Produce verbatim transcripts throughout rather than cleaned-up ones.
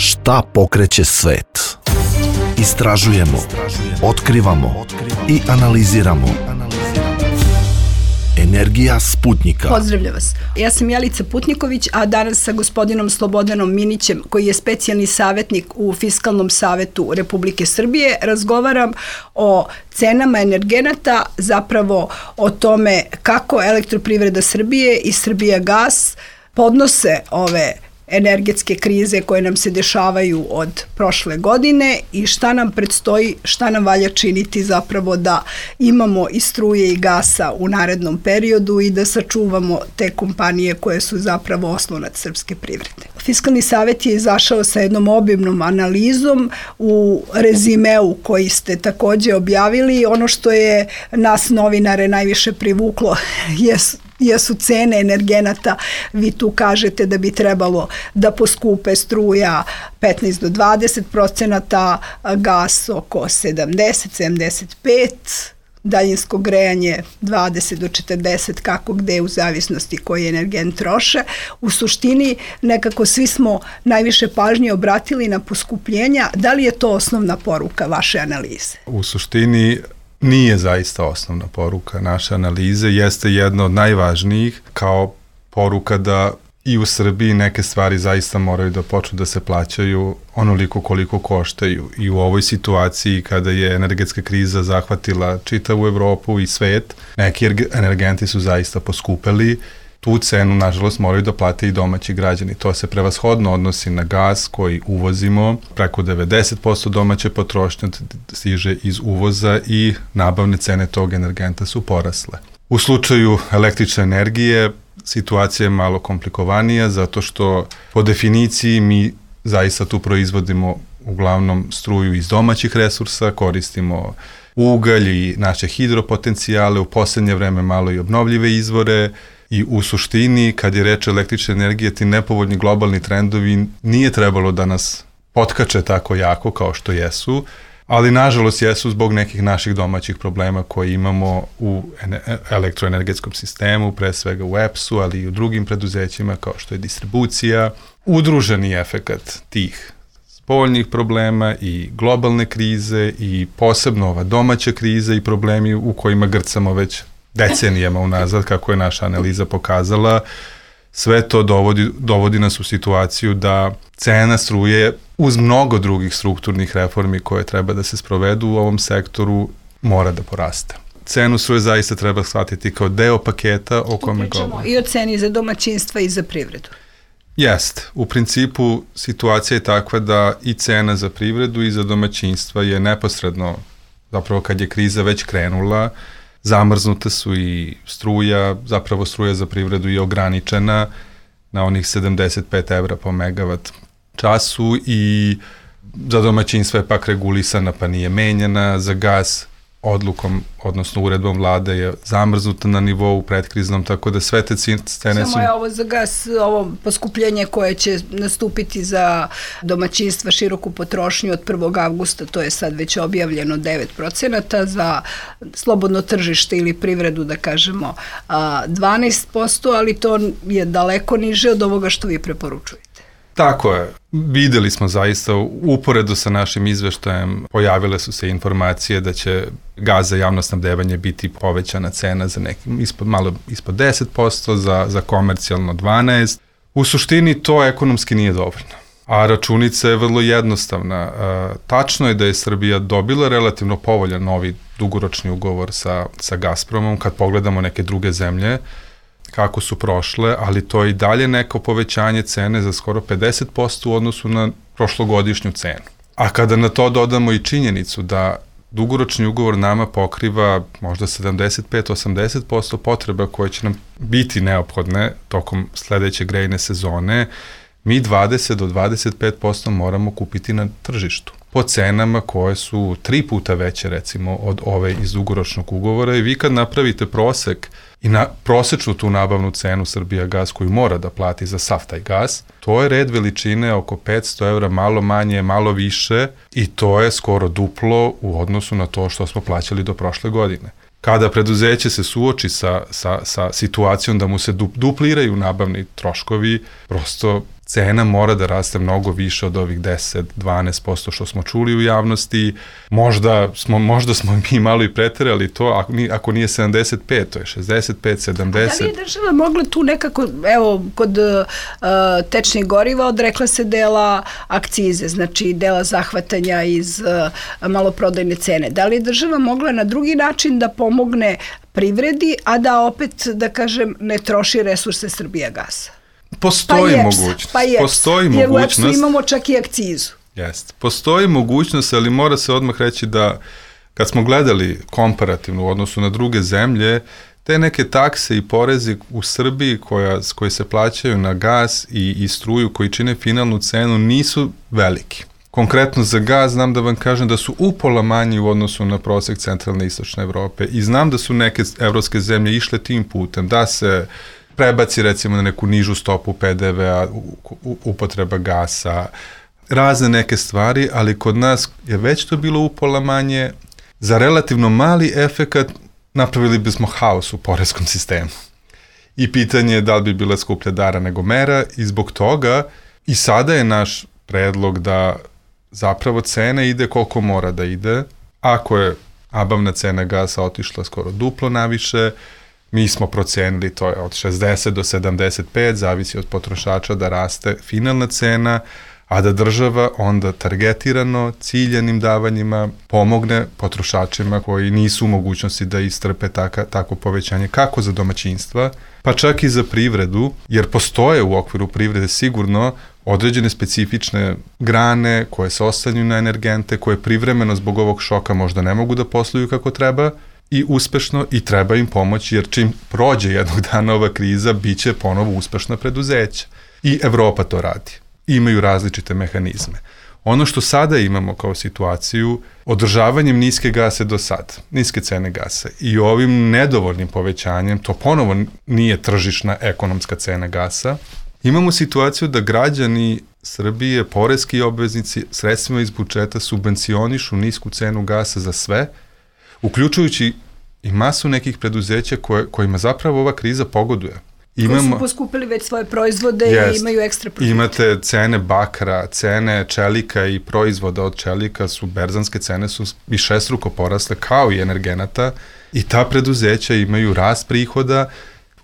Šta pokreće svet? Istražujemo, otkrivamo i analiziramo. Energija Sputnjika. Pozdravljam vas. Ja sam Jelica Putniković, a danas sa gospodinom Slobodanom Minićem, koji je specijalni savjetnik u Fiskalnom savetu Republike Srbije, razgovaram o cenama energenata, zapravo o tome kako Elektroprivreda Srbije i Srbijagas podnose ove energetske krize koje nam se dešavaju od prošle godine i šta nam predstoji, šta nam valja činiti zapravo da imamo i struje i gasa u narednom periodu i da sačuvamo te kompanije koje su zapravo oslonac srpske privrede. Fiskalni savet je izašao sa jednom obimnom analizom u rezimeu koji ste takođe objavili. Ono što je nas novinare najviše privuklo jesu jesu cene energenata. Vi tu kažete da bi trebalo da poskupe struja petnaest do dvadeset procenata, gas oko sedamdeset do sedamdeset pet, daljinsko grejanje dvadeset do četrdeset, kako gde u zavisnosti koji energent troše. U suštini nekako svi smo najviše pažnje obratili na poskupljenja. Da li je to osnovna poruka vaše analize? U suštini nije zaista osnovna poruka naše analize, jeste jedna od najvažnijih kao poruka da i u Srbiji neke stvari zaista moraju da počnu da se plaćaju onoliko koliko koštaju. I u ovoj situaciji kada je energetska kriza zahvatila čitavu Evropu i svet, neki energenti su zaista poskupeli. Tu cenu, nažalost, moraju da plate i domaći građani. To se prevashodno odnosi na gas koji uvozimo. Preko devedeset posto domaće potrošnje stiže iz uvoza i nabavne cene tog energenta su porasle. U slučaju električne energije situacija je malo komplikovanija zato što po definiciji mi zaista tu proizvodimo uglavnom struju iz domaćih resursa, koristimo ugalj i naše hidropotencijale, u poslednje vreme malo i obnovljive izvore. I u suštini, kad je reč o električne energije, ti nepovoljni globalni trendovi nije trebalo da nas potkače tako jako kao što jesu, ali nažalost jesu zbog nekih naših domaćih problema koje imamo u elektroenergetskom sistemu, pre svega u E P S-u, ali i u drugim preduzećima kao što je distribucija. Udruženi efekat tih spoljnih problema i globalne krize i posebno ova domaća kriza i problemi u kojima grcamo već decenijama unazad, kako je naša analiza pokazala, sve to dovodi, dovodi nas u situaciju da cena struje uz mnogo drugih strukturnih reformi koje treba da se sprovedu u ovom sektoru mora da poraste. Cenu struje zaista treba shvatiti kao deo paketa o kome govorimo. I o ceni za domaćinstva i za privredu. Jest. U principu situacija je takva da i cena za privredu i za domaćinstva je neposredno, zapravo kad je kriza već krenula, zamrznuta su i struja, zapravo struja za privredu je ograničena na onih sedamdeset pet evra po megavat času i za domaćinstva je pak regulisana pa nije menjana, za gas odlukom, odnosno uredbom vlade je zamrznuta na nivou predkriznom, tako da sve te cene su... Samo je ovo za gas, ovo poskupljenje koje će nastupiti za domaćinstva široku potrošnju od prvog avgusta, to je sad već objavljeno devet procenata, za slobodno tržište ili privredu, da kažemo, dvanaest posto, ali to je daleko niže od ovoga što vi preporučujete. Tako je. Videli smo zaista, uporedo sa našim izveštajem pojavile su se informacije da će gas za javno snabdevanje biti povećana cena za nekim ispod, malo ispod deset posto, za, za komercijalno dvanaest posto. U suštini to ekonomski nije dovoljno. A računica je vrlo jednostavna. Tačno je da je Srbija dobila relativno povoljan novi dugoročni ugovor sa, sa Gazpromom kad pogledamo neke druge zemlje kako su prošle, ali to je i dalje neko povećanje cene za skoro pedeset posto u odnosu na prošlogodišnju cenu. A kada na to dodamo i činjenicu da dugoročni ugovor nama pokriva možda sedamdeset pet do osamdeset posto potreba koje će nam biti neophodne tokom sledeće grejne sezone, mi dvadeset do dvadeset pet posto moramo kupiti na tržištu po cenama koje su tri puta veće recimo od ove iz dugoročnog ugovora i vi kad napravite prosek i na prosečnu tu nabavnu cenu Srbijagas koju mora da plati za sav taj gas, to je red veličine oko petsto evra, malo manje, malo više i to je skoro duplo u odnosu na to što smo plaćali do prošle godine. Kada preduzeće se suoči sa, sa, sa situacijom da mu se dupliraju nabavni troškovi, prosto cena mora da raste mnogo više od ovih deset do dvanaest posto što smo čuli u javnosti. Možda smo, možda smo mi malo i preterali to, ako nije, ako nije sedamdeset pet, to je šezdeset pet, sedamdeset. A da li je država mogla tu nekako, evo, kod uh, tečnih goriva odrekla se dela akcize, znači dela zahvatanja iz uh, maloprodajne cene. Da li je država mogla na drugi način da pomogne privredi, a da opet, da kažem, ne troši resurse Srbijagasa? Postoji pa mogućnost. Pa Postoji jer mogućnost. Jer u E P S-u imamo čak i akcizu. Jeste. Postoji mogućnost, ali mora se odmah reći da kad smo gledali komparativno u odnosu na druge zemlje, te neke takse i porezi u Srbiji koja, koji se plaćaju na gas i, i struju koji čine finalnu cenu nisu veliki. Konkretno za gas znam da vam kažem da su upola manji u odnosu na prosek centralne i istočne Evrope i znam da su neke evropske zemlje išle tim putem, da se prebaci recimo na neku nižu stopu P D V-a, upotreba gasa, razne neke stvari, ali kod nas je već to bilo upola manje. Za relativno mali efekat napravili bismo haos u poreskom sistemu. I pitanje je da li bi bila skuplja dara nego mera i zbog toga i sada je naš predlog da zapravo cena ide koliko mora da ide. Ako je nabavna cena gasa otišla skoro duplo naviše, mi smo procenili, to je od šezdeset do sedamdeset pet, zavisi od potrošača da raste finalna cena, a da država onda targetirano, ciljanim davanjima pomogne potrošačima koji nisu u mogućnosti da istrpe taka, tako povećanje, kako za domaćinstva, pa čak i za privredu, jer postoje u okviru privrede sigurno određene specifične grane koje se oslanjaju na energente, koje privremeno zbog ovog šoka možda ne mogu da posluju kako treba, i uspešno i treba im pomoći, jer čim prođe jednog dana ova kriza, bit će ponovo uspešna preduzeća. I Evropa to radi. Imaju različite mehanizme. Ono što sada imamo kao situaciju, održavanjem niske gase do sad, niske cene gasa i ovim nedovoljnim povećanjem, to ponovo nije tržišna ekonomska cena gasa, imamo situaciju da građani Srbije, poreski obveznici, sredstvima iz budžeta subvencionišu nisku cenu gasa za sve, uključujući i masu nekih preduzeća koje, kojima zapravo ova kriza pogoduje. Imamo, koji su poskupili već svoje proizvode jest, i imaju ekstra profite. Imate cene bakra, cene čelika i proizvoda od čelika su, berzanske cene su višestruko porasle kao i energenata i ta preduzeća imaju rast prihoda.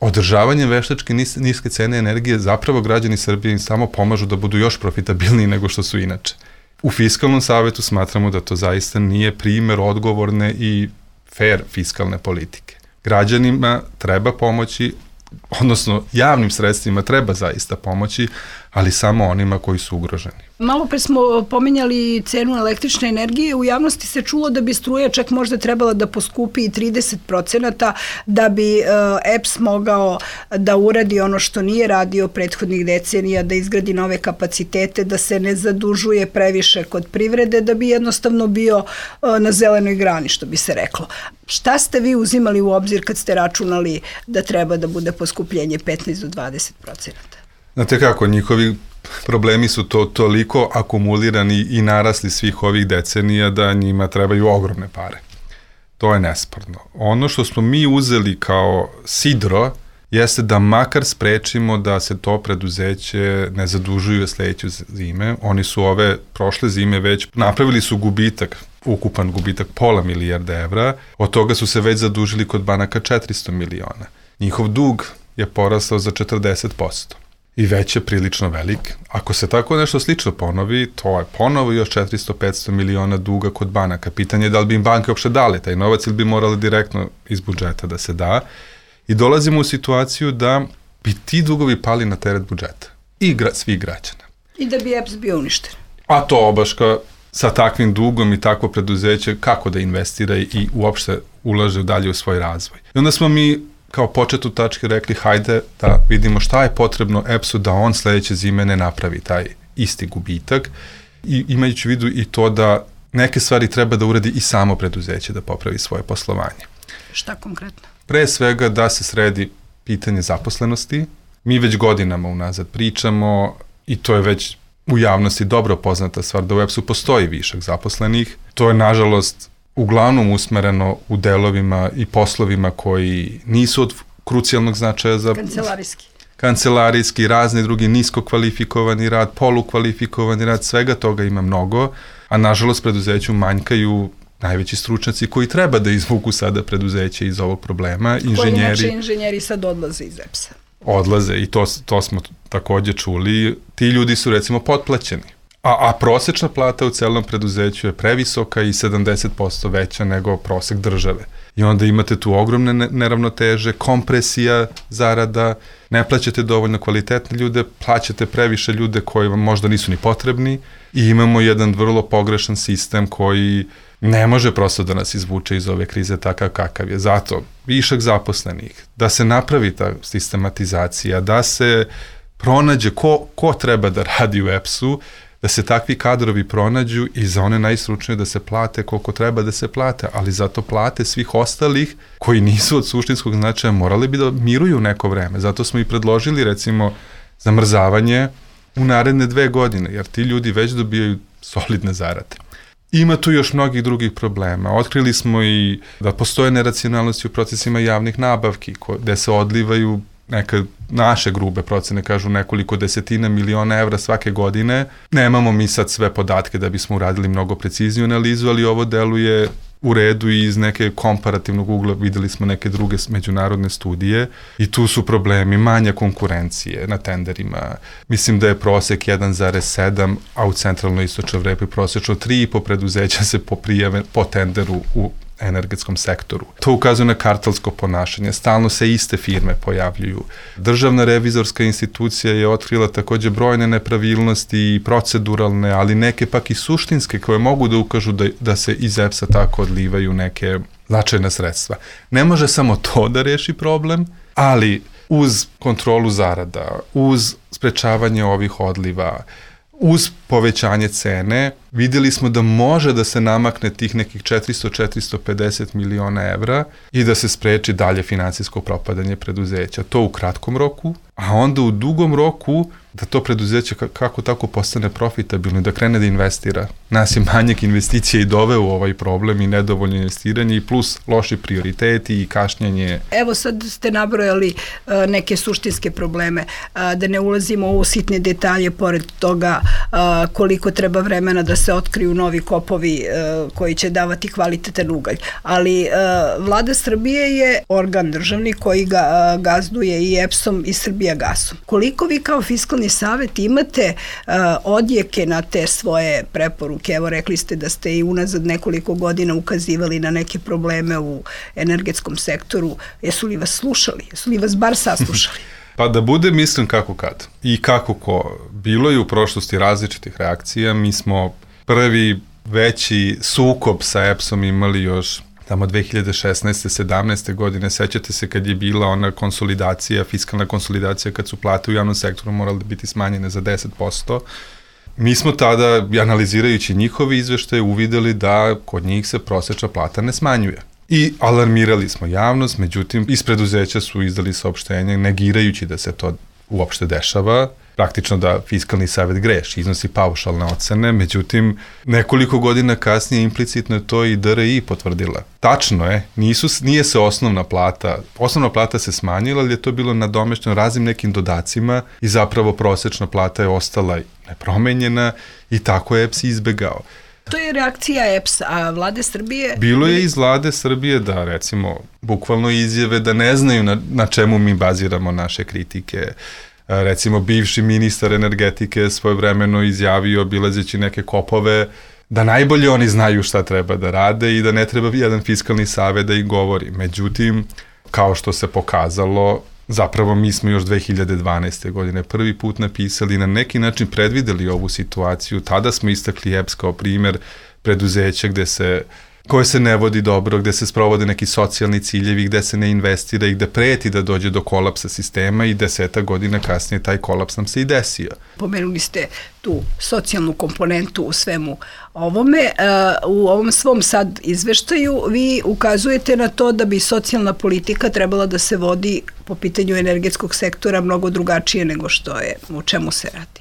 Održavanjem veštačke nis, niske cene energije zapravo građani Srbije im samo pomažu da budu još profitabilniji nego što su inače. U Fiskalnom savetu smatramo da to zaista nije primer odgovorne i fair fiskalne politike. Građanima treba pomoći, odnosno javnim sredstvima treba zaista pomoći, ali samo onima koji su ugroženi. Malo pre smo pominjali cenu električne energije, u javnosti se čulo da bi struja čak možda trebala da poskupi i trideset procenata da bi E P S mogao da uradi ono što nije radio prethodnih decenija, da izgradi nove kapacitete, da se ne zadužuje previše kod privrede, da bi jednostavno bio na zelenoj grani, što bi se reklo. Šta ste vi uzimali u obzir kad ste računali da treba da bude poskupljenje petnaest do dvadeset procenata? Znate kako, njihovi problemi su to toliko akumulirani i narasli svih ovih decenija da njima trebaju ogromne pare. To je nesporno. Ono što smo mi uzeli kao sidro jeste da makar sprečimo da se to preduzeće ne zadužuju sledeću zime. Oni su ove prošle zime već napravili su gubitak, ukupan gubitak pola milijarde evra, od toga su se već zadužili kod banaka četiristo miliona. Njihov dug je porastao za četrdeset posto. I već je prilično velik. Ako se tako nešto slično ponovi, to je ponovo još četiristo do petsto miliona duga kod banaka. Pitanje je da li bi im banke uopšte dali taj novac ili bi morali direktno iz budžeta da se da. I dolazimo u situaciju da bi ti dugovi pali na teret budžeta. I gra, svih građana. I da bi E P S bio uništen. A to obaška sa takvim dugom i takvo preduzeće kako da investira i uopšte ulaže dalje u svoj razvoj. I onda smo mi kao početnu tačke rekli hajde da vidimo šta je potrebno E P S-u da on sledeće zime ne napravi taj isti gubitak i imajući u vidu i to da neke stvari treba da uradi i samo preduzeće da popravi svoje poslovanje. Šta konkretno? Pre svega da se sredi pitanje zaposlenosti. Mi već godinama unazad pričamo i to je već u javnosti dobro poznata stvar da u E P S-u postoji višak zaposlenih. To je nažalost uglavnom usmereno u delovima i poslovima koji nisu od krucijalnog značaja za... Kancelarijski. kancelarijski, razni drugi nisko kvalifikovani rad, polukvalifikovani rad, svega toga ima mnogo, a nažalost preduzeću manjkaju najveći stručnjaci koji treba da izvuku sada preduzeće iz ovog problema. Koji inače inženjeri sad odlaze iz E P S-a. Odlaze i to, to smo takođe čuli. Ti ljudi su recimo potplaćeni. A, a prosečna plata u celom preduzeću je previsoka i sedamdeset posto veća nego prosek države. I onda imate tu ogromne neravnoteže, kompresija zarada, ne plaćate dovoljno kvalitetne ljude, plaćate previše ljude koji vam možda nisu ni potrebni i imamo jedan vrlo pogrešan sistem koji ne može prosto da nas izvuče iz ove krize takav kakav je. Zato višak zaposlenih, da se napravi ta sistematizacija, da se pronađe ko, ko treba da radi u E P S-u, da se takvi kadrovi pronađu i za one najstručnije da se plate koliko treba da se plate, ali zato plate svih ostalih koji nisu od suštinskog značaja morali bi da miruju neko vreme. Zato smo i predložili recimo zamrzavanje u naredne dve godine, jer ti ljudi već dobijaju solidne zarade. Ima tu još mnogih drugih problema. Otkrili smo i da postoje neracionalnosti u procesima javnih nabavki, gde se odlivaju neke naše grube procene, kažu nekoliko desetina miliona evra svake godine. Nemamo mi sad sve podatke da bismo uradili mnogo precizniju analizu, ali ovo deluje u redu i iz neke komparativnog ugla videli smo neke druge međunarodne studije i tu su problemi, manja konkurencije na tenderima. Mislim da je prosek jedan zarez sedam, a u centralnoj istočnoj Evropi prosečno tri i po preduzeća se poprijave po tenderu u energetskom sektoru. To ukazuje na kartelsko ponašanje. Stalno se iste firme pojavljuju. Državna revizorska institucija je otkrila takođe brojne nepravilnosti i proceduralne, ali neke pak i suštinske koje mogu da ukažu da, da se iz E P S-a tako odlivaju neke značajna sredstva. Ne može samo to da reši problem, ali uz kontrolu zarada, uz sprečavanje ovih odliva, uz povećanje cene, videli smo da može da se namakne tih nekih četiristo do četiristo pedeset miliona evra i da se spreči dalje finansijsko propadanje preduzeća. To u kratkom roku, a onda u dugom roku da to preduzeće kako tako postane profitabilno i da krene da investira. Nas je manjak investicija i doveo u ovaj problem i nedovoljno investiranje i plus loši prioriteti i kašnjenje. Evo sad ste nabrojali uh, neke suštinske probleme, uh, da ne ulazimo u sitne detalje pored toga uh, koliko treba vremena da se otkriju novi kopovi uh, koji će davati kvalitetan ugalj. Ali uh, Vlada Srbije je organ državni koji ga uh, gazduje i E P S-om i Srbijagasom. Koliko vi kao fiskalni savet imate uh, odjeke na te svoje preporuke? Evo rekli ste da ste i unazad nekoliko godina ukazivali na neke probleme u energetskom sektoru. Jesu li vas slušali? Jesu li vas bar saslušali? Pa da bude mislim kako kad i kako ko. Bilo je u prošlosti različitih reakcija. Mi smo prvi veći sukob sa E P S-om imali još tamo dve hiljade šesnaeste sedamnaeste godine, sećate se kad je bila ona konsolidacija, fiskalna konsolidacija, kad su plate u javnom sektoru morale biti smanjene za deset posto. Mi smo tada, analizirajući njihovi izveštaje, uvideli da kod njih se prosečna plata ne smanjuje. I alarmirali smo javnost, međutim, iz preduzeća su izdali saopštenje negirajući da se to uopšte dešava, praktično da fiskalni savet greši, iznosi paušalne ocene, međutim, nekoliko godina kasnije implicitno je to i D R I potvrdila. Tačno je, nisu, nije se osnovna plata, osnovna plata se smanjila, ali je to bilo nadomešteno raznim nekim dodacima i zapravo prosečna plata je ostala nepromenjena i tako je E P S izbegao. To je reakcija E P S, a Vlade Srbije... Bilo je iz Vlade Srbije da, recimo, bukvalno izjave da ne znaju na, na čemu mi baziramo naše kritike. Recimo, bivši ministar energetike svojevremeno izjavio, obilazeći neke kopove, da najbolje oni znaju šta treba da rade i da ne treba jedan fiskalni savet da ih govori. Međutim, kao što se pokazalo, zapravo mi smo još dve hiljade dvanaeste. godine prvi put napisali i na neki način predvideli ovu situaciju. Tada smo istakli E P S kao primer preduzeća gde se, koje se ne vodi dobro, gde se sprovode neki socijalni ciljevi, gde se ne investira i gde preti da dođe do kolapsa sistema i deseta godina kasnije taj kolaps nam se i desio. Pomenuli ste tu socijalnu komponentu u svemu ovome. U ovom svom sad izveštaju vi ukazujete na to da bi socijalna politika trebala da se vodi po pitanju energetskog sektora mnogo drugačije nego što je, o čemu se radi.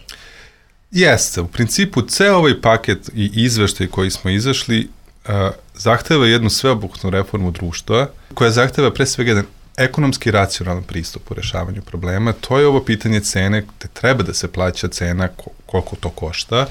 Jeste, u principu ceo ovaj paket i izveštaj koji smo izašli uh, zahteva jednu sveobuhvatnu reformu društva koja zahteva pre svega jedan ekonomski racionalan pristup u rešavanju problema. To je ovo pitanje cene, te treba da se plaća cena koliko to košta.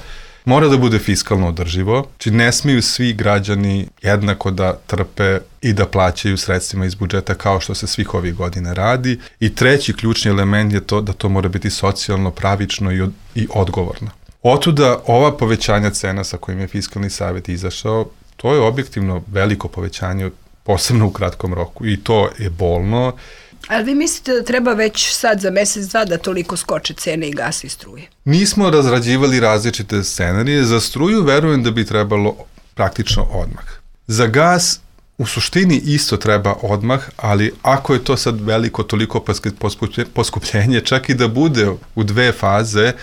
Mora da bude fiskalno održivo, či ne smiju svi građani jednako da trpe i da plaćaju sredstvima iz budžeta kao što se svih ovih godina radi. I treći ključni element je to da to mora biti socijalno, pravično i, od, i odgovorno. Otuda ova povećanja cena sa kojim je Fiskalni savet izašao, to je objektivno veliko povećanje, posebno u kratkom roku, i to je bolno. Ali vi mislite da treba već sad za mesec, dva da toliko skoče cene i gasa i struje? Nismo razrađivali različite scenarije. Za struju verujem da bi trebalo praktično odmah. Za gas u suštini isto treba odmah, ali ako je to sad veliko toliko poskupljenje, čak i da bude u dve faze,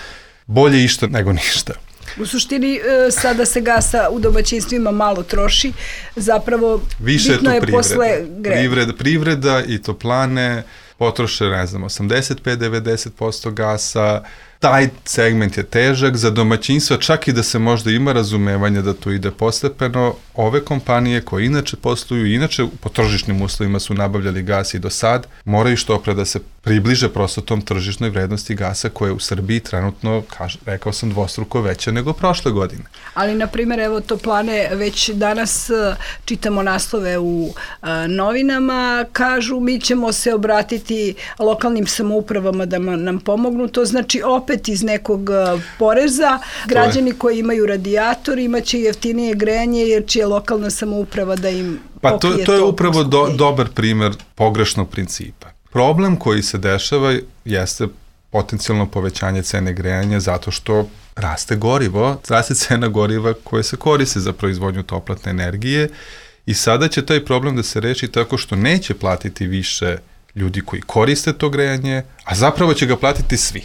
bolje išta nego ništa. U suštini, sada se gasa u domaćinstvima malo troši, zapravo više bitno je, je posle grejanja. Privreda, privreda i toplane potroše, ne znam, osamdeset pet do devedeset posto gasa. Taj segment je težak za domaćinstva, čak i da se možda ima razumevanja da to ide postepeno. Ove kompanije koje inače posluju, inače po tržišnim uslovima su nabavljali gas i do sad, moraju što pre da se približe prosto tom tržišnoj vrednosti gasa koja je u Srbiji trenutno, kaž, rekao sam, dvostruko veća nego prošle godine. Ali, na primjer, evo toplane, već danas čitamo naslove u a, novinama, kažu mi ćemo se obratiti lokalnim samoupravama da nam pomognu, to znači opet iz nekog poreza, građani koji imaju radijator imaće jeftinije grejanje jer će lokalna samouprava da im pa to, pokrije to je to upravo do, dobar primer pogrešnog principa. Problem koji se dešava jeste potencijalno povećanje cene grejanja zato što raste gorivo, raste cena goriva koje se koriste za proizvodnju toplotne energije i sada će taj problem da se reši tako što neće platiti više ljudi koji koriste to grejanje, a zapravo će ga platiti svi.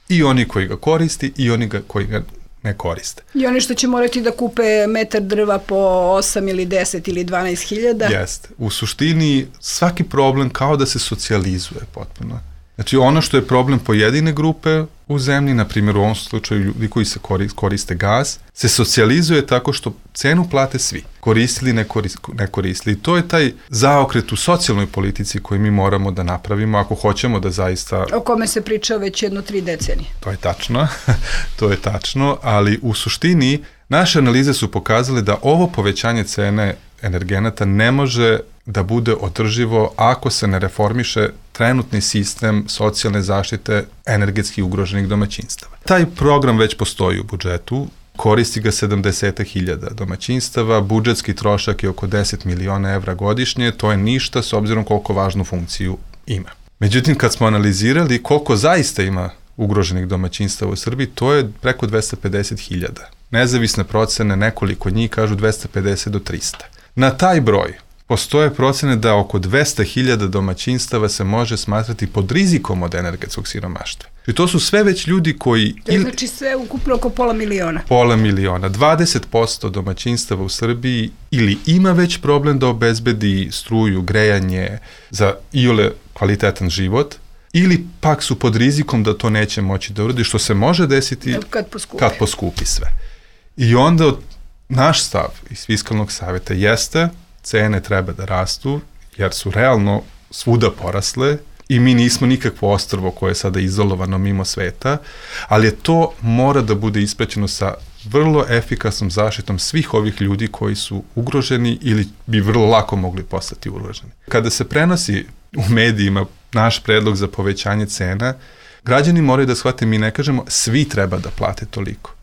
I oni koji ga koristi i oni ga, koji ga ne koriste. I oni što će morati da kupe metar drva po osam ili deset ili dvanaest hiljada. Jeste. U suštini svaki problem kao da se socijalizuje potpuno. Znači ono što je problem pojedine grupe u zemlji, na primjer u ovom slučaju ljudi koji se koriste gas, se socijalizuje tako što cenu plate svi. Koristili, ne, korist, ne koristili. I to je taj zaokret u socijalnoj politici koji mi moramo da napravimo ako hoćemo da zaista... O kome se priča već jedno tri decenije. To je tačno, to je tačno, ali u suštini naše analize su pokazale da ovo povećanje cene energenata ne može da bude održivo ako se ne reformiše trenutni sistem socijalne zaštite energetski ugroženih domaćinstava. Taj program već postoji u budžetu, koristi ga sedamdeset hiljada domaćinstava, budžetski trošak je oko deset miliona evra godišnje, to je ništa s obzirom koliko važnu funkciju ima. Međutim, kad smo analizirali koliko zaista ima ugroženih domaćinstava u Srbiji, to je preko dvesta pedeset hiljada. Nezavisne procene, nekoliko njih kažu dvesta pedeset do trista. Na taj broj postoje procene da oko dvesta hiljada domaćinstava se može smatrati pod rizikom od energetskog siromaštva. I to su sve već ljudi koji... To ili, znači sve ukupno oko pola miliona. Pola miliona. dvadeset posto domaćinstava u Srbiji ili ima već problem da obezbedi struju, grejanje za iole kvalitetan život, ili pak su pod rizikom da to neće moći da uradi, što se može desiti kad poskupi, kad poskupi sve. I onda naš stav iz Fiskalnog saveta jeste cene treba da rastu, jer su realno svuda porasle i mi nismo nikakvo ostrvo koje je sada izolovano mimo sveta, ali je to mora da bude ispraćeno sa vrlo efikasnom zaštitom svih ovih ljudi koji su ugroženi ili bi vrlo lako mogli postati ugroženi. Kada se prenosi u medijima naš predlog za povećanje cena, građani moraju da shvate, mi ne kažemo svi treba da plate toliko.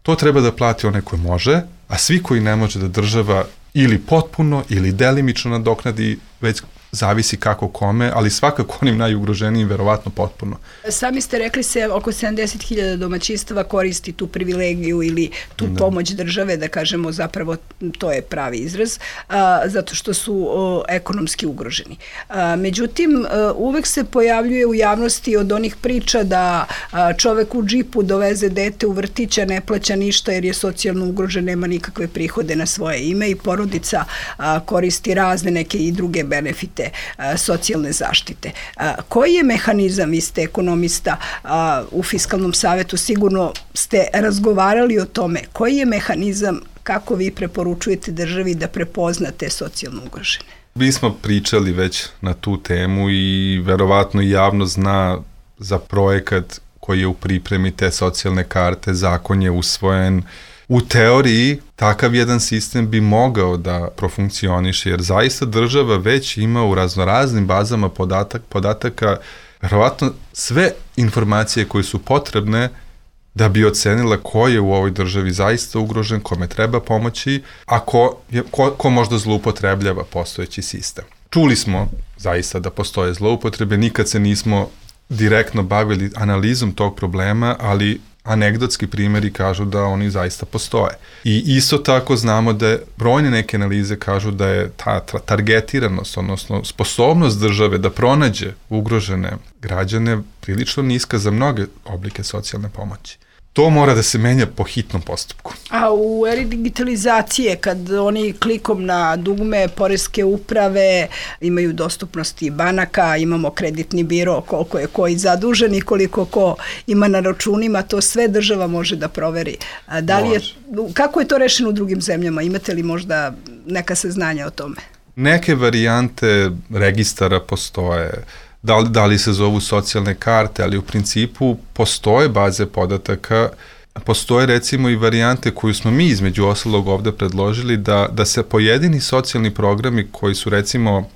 To treba da plati onaj koji može, a svi koji ne može da država ili potpuno ili delimično nadoknadi, već zavisi kako kome, ali svakako onim najugroženijim verovatno potpuno. Sami ste rekli se oko sedamdeset hiljada domaćinstava koristi tu privilegiju ili tu da. pomoć države, da kažemo zapravo to je pravi izraz, a, zato što su o, ekonomski ugroženi. A, međutim, a, uvek se pojavljuje u javnosti od onih priča da a, čovek u džipu doveze dete u vrtića, ne plaća ništa jer je socijalno ugrožen, nema nikakve prihode na svoje ime i porodica a, koristi razne neke i druge benefite a, socijalne zaštite. A, koji je mehanizam, vi ste ekonomista a, u Fiskalnom savetu, sigurno ste razgovarali o tome, koji je mehanizam kako vi preporučujete državi da prepozna te socijalno ugrožene? Mi smo pričali već na tu temu i verovatno javno zna za projekat koji je u pripremi te socijalne karte, zakon je usvojen. U teoriji takav jedan sistem bi mogao da profunkcioniše, jer zaista država već ima u raznoraznim bazama podatak, podataka verovatno sve informacije koje su potrebne da bi ocenila ko je u ovoj državi zaista ugrožen, kome treba pomoći, a ko, je, ko, ko možda zloupotrebljava postojeći sistem. Čuli smo zaista da postoje zloupotrebe, nikad se nismo direktno bavili analizom tog problema, ali anegdotski primjeri kažu da oni zaista postoje. I isto tako znamo da je, brojne neke analize kažu da je ta targetiranost, odnosno sposobnost države da pronađe ugrožene građane prilično niska za mnoge oblike socijalne pomoći. To mora da se menja po hitnom postupku. A u eri digitalizacije, kad oni klikom na dugme poreske uprave imaju dostupnosti banaka, imamo kreditni biro, koliko je koji zadužen i koliko ko ima na računima, to sve država može da proveri. Da li je, kako je to rešeno u drugim zemljama? Imate li možda neka saznanja o tome? Neke varijante registara postoje, Da li, da li se zovu socijalne karte, ali u principu postoje baze podataka, postoje recimo i varijante koju smo mi između ostalog ovde predložili da, da se pojedini socijalni programi koji su recimo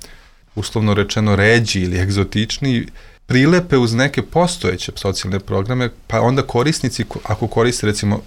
uslovno rečeno ređi ili egzotični prilepe uz neke postojeće socijalne programe, pa onda korisnici ako koriste recimo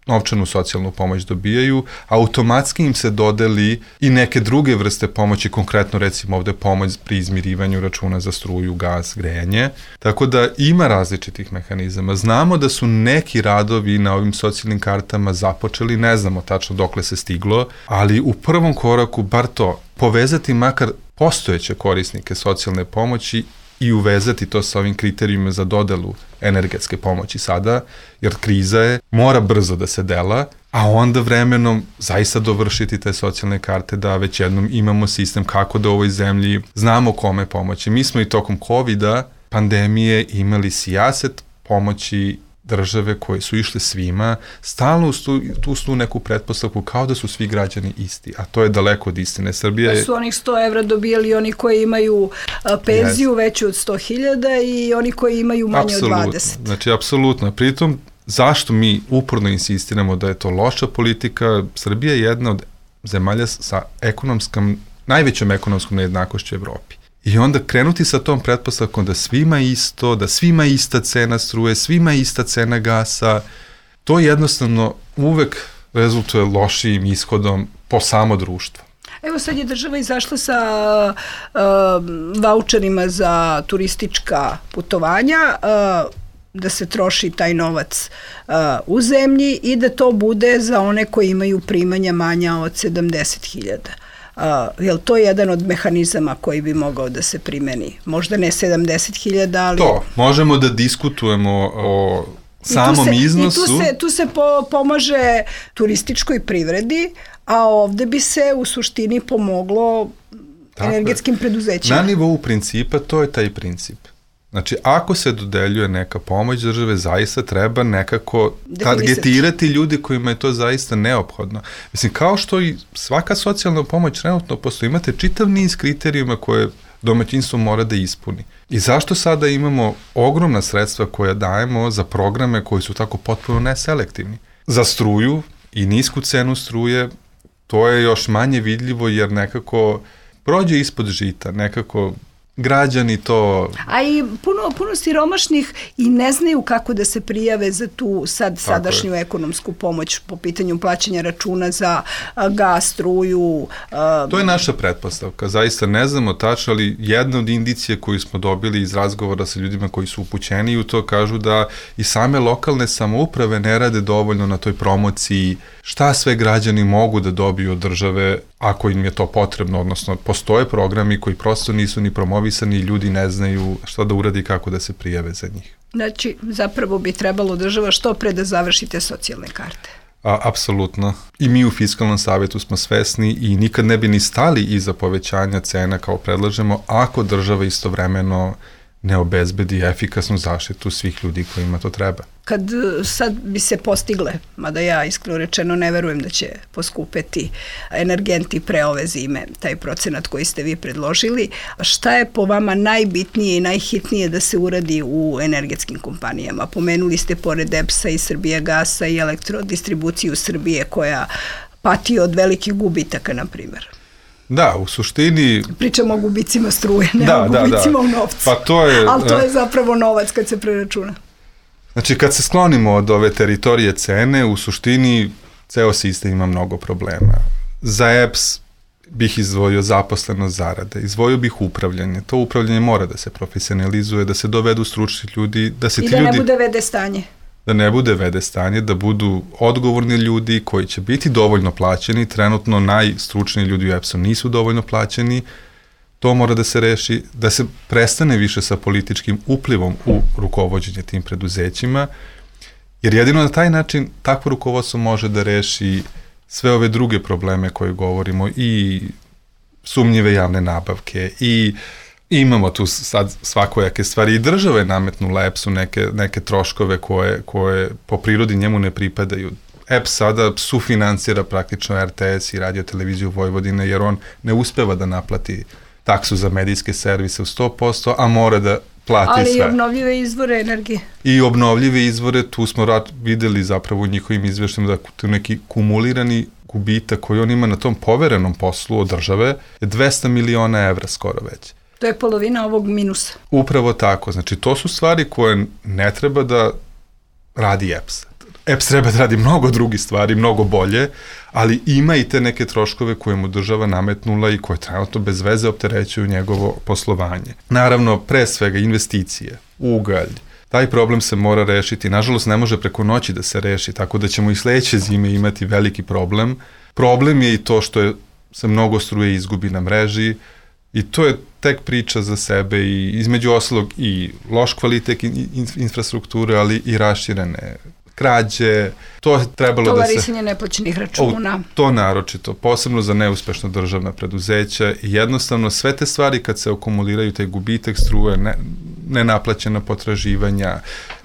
novčanu socijalnu pomoć dobijaju, automatski im se dodeli i neke druge vrste pomoći, konkretno recimo ovde pomoć pri izmirivanju računa za struju, gas, grejanje. Tako da ima različitih mehanizama. Znamo da su neki radovi na ovim socijalnim kartama započeli, ne znamo tačno dokle se stiglo, ali u prvom koraku bar to, povezati makar postojeće korisnike socijalne pomoći i uvezati to sa ovim kriterijima za dodelu energetske pomoći sada, jer kriza je, mora brzo da se dela, a onda vremenom zaista dovršiti te socijalne karte da već jednom imamo sistem kako da u ovoj zemlji znamo kome pomoći. Mi smo i tokom kovida, pandemije, imali sijaset pomoći države koje su išle svima, stalno uz tu, tu su neku pretpostavku kao da su svi građani isti, a to je daleko od istine. Srbija je... Da su onih sto evra dobijali oni koji imaju a, penziju yes. veću od sto hiljada i oni koji imaju manje apsolutno. od dvadeset. Znači, apsolutno. Pritom, zašto mi uporno insistiramo da je to loša politika? Srbija je jedna od zemalja sa ekonomskom, najvećom ekonomskom nejednakošću u Evropi. I onda krenuti sa tom pretpostavkom da svima isto, da svima ista cena struje, svima ista cena gasa, to jednostavno uvek rezultuje lošijim ishodom po samo društvo. Evo sad je država izašla sa uh, vaučerima za turistička putovanja, uh, da se troši taj novac uh, u zemlji i da to bude za one koji imaju primanja manja od sedamdeset hiljada. Uh, je li to jedan od mehanizama koji bi mogao da se primeni? Možda ne sedamdeset hiljada, ali... To, možemo da diskutujemo o samom se, iznosu. I tu se, tu se po, pomaže turističkoj privredi, a ovde bi se u suštini pomoglo tako energetskim preduzećima. Na nivou principa to je taj princip. Znači, ako se dodeljuje neka pomoć države, zaista treba nekako targetirati ljudi kojima je to zaista neophodno. Mislim, kao što i svaka socijalna pomoć trenutno postoji, imate čitav niz kriterijuma koje domaćinstvo mora da ispuni. I zašto sada imamo ogromna sredstva koja dajemo za programe koji su tako potpuno neselektivni? Za struju i nisku cenu struje, to je još manje vidljivo jer nekako prođe ispod žita, nekako građani to... A i puno, puno siromašnih i ne znaju kako da se prijave za tu sad tako sadašnju je. ekonomsku pomoć po pitanju plaćanja računa za a, gas, struju. A... To je naša pretpostavka. Zaista ne znamo tačno, ali jedna od indicije koju smo dobili iz razgovora sa ljudima koji su upućeni u to kažu da i same lokalne samouprave ne rade dovoljno na toj promociji šta sve građani mogu da dobiju od države ako im je to potrebno, odnosno postoje programi koji prosto nisu ni promovisani i ljudi ne znaju šta da uradi i kako da se prijave za njih. Znači, zapravo bi trebalo država što pre da završite socijalne karte. A, apsolutno. I mi u Fiskalnom savetu smo svesni i nikad ne bi ni stali iza povećanja cena kao predlažemo ako država istovremeno ne obezbedi efikasnu zaštitu svih ljudi kojima to treba. Kad sad bi se postigle, mada ja iskreno rečeno ne verujem da će poskupeti energenti pre ove zime, taj procenat koji ste vi predložili, šta je po vama najbitnije i najhitnije da se uradi u energetskim kompanijama? Pomenuli ste pored E P S-a i Srbijagasa i Elektrodistribuciju Srbije koja pati od velikih gubitaka, na primjer. Da, u suštini... Pričamo o gubicima struje, ne da, o gubicima da, da. u novcu. Pa to je... Ali to je zapravo novac kad se preračuna. Znači, kad se sklonimo od ove teritorije cene, u suštini ceo sistem ima mnogo problema. Za E P S bih izdvojio zaposlenost zarade, izdvojio bih upravljanje. To upravljanje mora da se profesionalizuje, da se dovedu stručni ljudi, da se I ti da ljudi... ne bude vede stanje. Da ne bude vede stanje, da budu odgovorni ljudi koji će biti dovoljno plaćeni. Trenutno najstručniji ljudi u E P S-u nisu dovoljno plaćeni. To mora da se reši, da se prestane više sa političkim uplivom u rukovođenje tim preduzećima, jer jedino na taj način takvo rukovodstvo može da reši sve ove druge probleme koje govorimo, i sumnjive javne nabavke, i imamo tu sad svakojake stvari, i država je nametnula E P S-u neke, neke troškove koje, koje po prirodi njemu ne pripadaju. E P S sada sufinansira praktično R T S i Radio televiziju Vojvodine, jer on ne uspeva da naplati taksu za medijske servise u sto posto, a mora da plati ali sve. Ali i obnovljive izvore energije. I obnovljive izvore, tu smo rad, videli zapravo u njihovim izveštima da tu neki kumulirani gubitak koji on ima na tom poverenom poslu od države je dvesta miliona evra skoro već. To je polovina ovog minusa. Upravo tako. Znači, to su stvari koje ne treba da radi E P S. E P S treba da radi mnogo drugih stvari, mnogo bolje, ali ima i te neke troškove koje mu država nametnula i koje trenutno bez veze opterećuju njegovo poslovanje. Naravno, pre svega investicije, ugalj, taj problem se mora rešiti. Nažalost, ne može preko noći da se reši, tako da ćemo i sledeće zime imati veliki problem. Problem je i to što je, se mnogo struje izgubi na mreži, i to je tek priča za sebe, i između ostalog i loš kvalitet in, in, infrastrukture, ali i raširene krađe, to je trebalo da se... Tolerisanje neplaćenih računa. O, to naročito, posebno za neuspešna državna preduzeća, i jednostavno sve te stvari kad se akumuliraju, taj gubitak struje, ne, nenaplaćena potraživanja,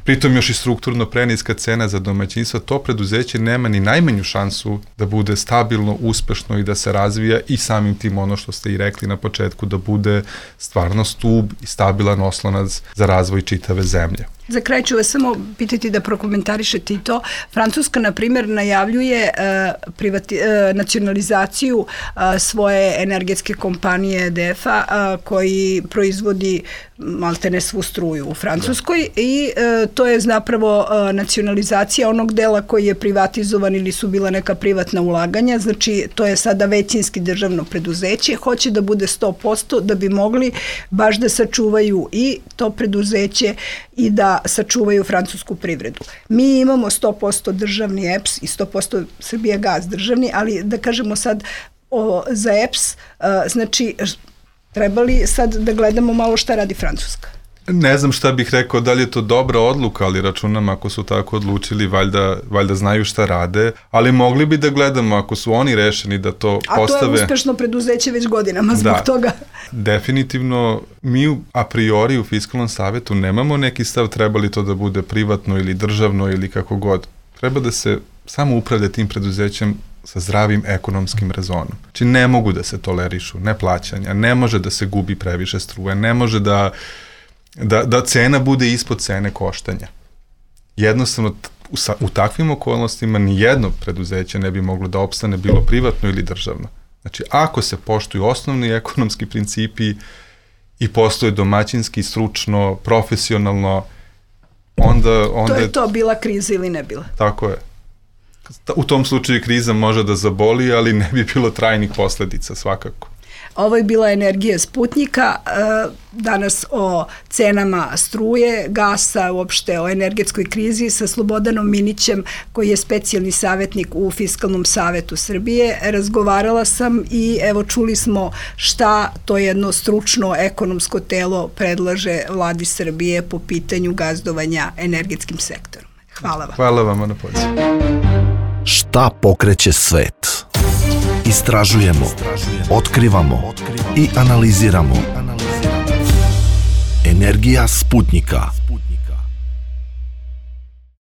pritom još i strukturno preniska cena za domaćinstva, to preduzeće nema ni najmanju šansu da bude stabilno, uspešno i da se razvija, i samim tim ono što ste i rekli na početku, da bude stvarno stub i stabilan oslonac za razvoj čitave zemlje. Za kraj ću vas samo pitati da prokomentarišete i to. Francuska, na primjer, najavljuje uh, privati, uh, nacionalizaciju uh, svoje energetske kompanije E D F-a uh, koji proizvodi maltene svu struju u Francuskoj, da. I uh, to je zapravo uh, nacionalizacija onog dela koji je privatizovan ili su bila neka privatna ulaganja, znači to je sada većinski državno preduzeće, hoće da bude sto posto da bi mogli baš da sačuvaju i to preduzeće i da sačuvaju francusku privredu. Mi imamo sto posto državni E P S i sto posto Srbijagas državni, ali da kažemo sad o, za E P S, uh, znači trebali sad da gledamo malo šta radi Francuska. Ne znam šta bih rekao, da li je to dobra odluka, ali računam ako su tako odlučili, valjda, valjda znaju šta rade, ali mogli bi da gledamo ako su oni rešeni da to a postave... A to je uspešno preduzeće već godinama zbog da, toga. Definitivno, mi a priori u Fiskalnom savetu nemamo neki stav treba li to da bude privatno ili državno ili kako god. Treba da se samo upravlja tim preduzećem sa zdravim ekonomskim rezonom. Znači ne mogu da se tolerišu neplaćanja, ne može da se gubi previše struje, ne može da Da, da cena bude ispod cene koštanja. Jednostavno, u, u takvim okolnostima nijedno preduzeće ne bi moglo da opstane, bilo privatno ili državno. Znači, ako se poštuju osnovni ekonomski principi i postoje domaćinski, stručno, profesionalno, onda... onda to je to, bila kriza ili ne bila. Tako je. U tom slučaju kriza može da zaboli, ali ne bi bilo trajnih posledica svakako. Ovo je bila Energija Sputnika, danas o cenama struje, gasa, uopšte o energetskoj krizi sa Slobodanom Minićem, koji je specijalni savjetnik u Fiskalnom savetu Srbije. Razgovarala sam i evo čuli smo šta to jedno stručno ekonomsko telo predlaže vladi Srbije po pitanju gazdovanja energetskim sektorom. Hvala vam. Hvala vam na pozivu. Šta pokreće svet? Istražujemo, otkrivamo i analiziramo. Energija Sputnika.